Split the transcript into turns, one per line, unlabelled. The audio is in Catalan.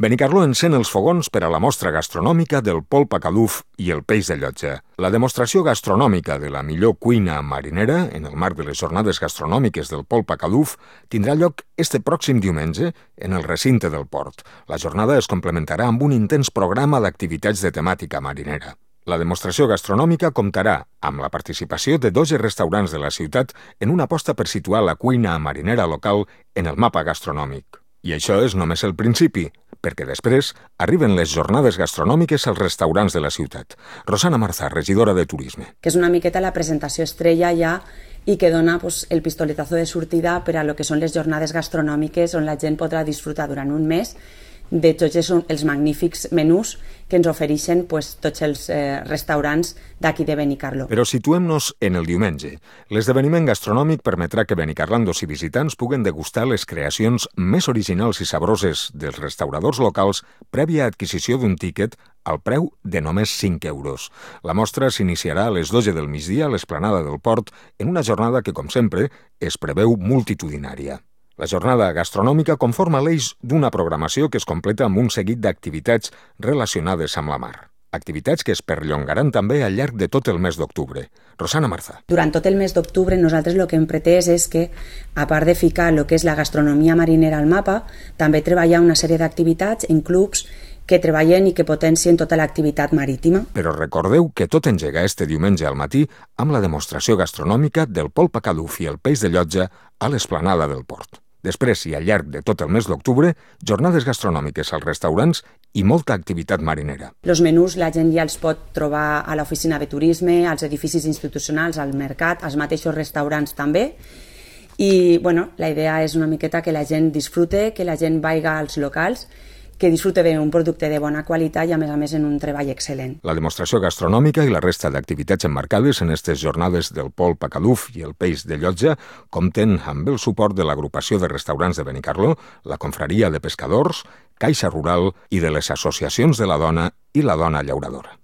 Benicarló encén els fogons per a la mostra gastronòmica del polp a caluf i el peix de llotja. La demostració gastronòmica de la millor cuina marinera, en el marc de les jornades gastronòmiques del polp a caluf, tindrà lloc este pròxim diumenge en el recinte del port. La jornada es complementarà amb un intens programa d'activitats de temàtica marinera. La demostració gastronòmica comptarà amb la participació de 12 restaurants de la ciutat en una aposta per situar la cuina marinera local en el mapa gastronòmic. I això és només el principi, perquè després arriben les jornades gastronòmiques als restaurants de la ciutat. Rosana Marzà, regidora de Turisme.
Que és una miqueta la presentació estrella ja i que dona el pistoletazo de sortida per a lo que són les jornades gastronòmiques on la gent podrà disfrutar durant un mes de tots els magnífics menús que ens ofereixen tots els restaurants d'aquí de Benicarló.
Però situem-nos en el diumenge. L'esdeveniment gastronòmic permetrà que benicarlandos i visitants puguen degustar les creacions més originals i sabroses dels restauradors locals prèvia adquisició d'un tíquet al preu de només 5 euros. La mostra s'iniciarà a les 12 del migdia a l'esplanada del port en una jornada que, com sempre, es preveu multitudinària. La jornada gastronòmica conforma l'eix d'una programació que es completa amb un seguit d'activitats relacionades amb la mar. Activitats que es perllongaran també al llarg de tot el mes d'octubre. Rosana Marzà.
Durant tot el mes d'octubre nosaltres el que hem pretès és que, a part de ficar el que és la gastronomia marinera al mapa, també treballar una sèrie d'activitats en clubs que treballen i que potencien tota l'activitat marítima.
Però recordeu que tot engega este diumenge al matí amb la demostració gastronòmica del polp a caluf i el peix de llotja a l'esplanada del port. Després i al llarg de tot el mes d'octubre, jornades gastronòmiques als restaurants i molta activitat marinera.
Els menús la gent ja els pot trobar a l'oficina de turisme, als edificis institucionals, al mercat, als mateixos restaurants també. I la idea és una miqueta que la gent disfrute, que la gent vaiga als locals, que disfrute d'un producte de bona qualitat i, a més, en un treball excel·lent.
La demostració gastronòmica i la resta d'activitats emmarcades en aquestes jornades del polp a caluf i el peix de llotja compten amb el suport de l'agrupació de restaurants de Benicarló, la confraria de pescadors, Caixa Rural i de les associacions de la dona i la dona llauradora.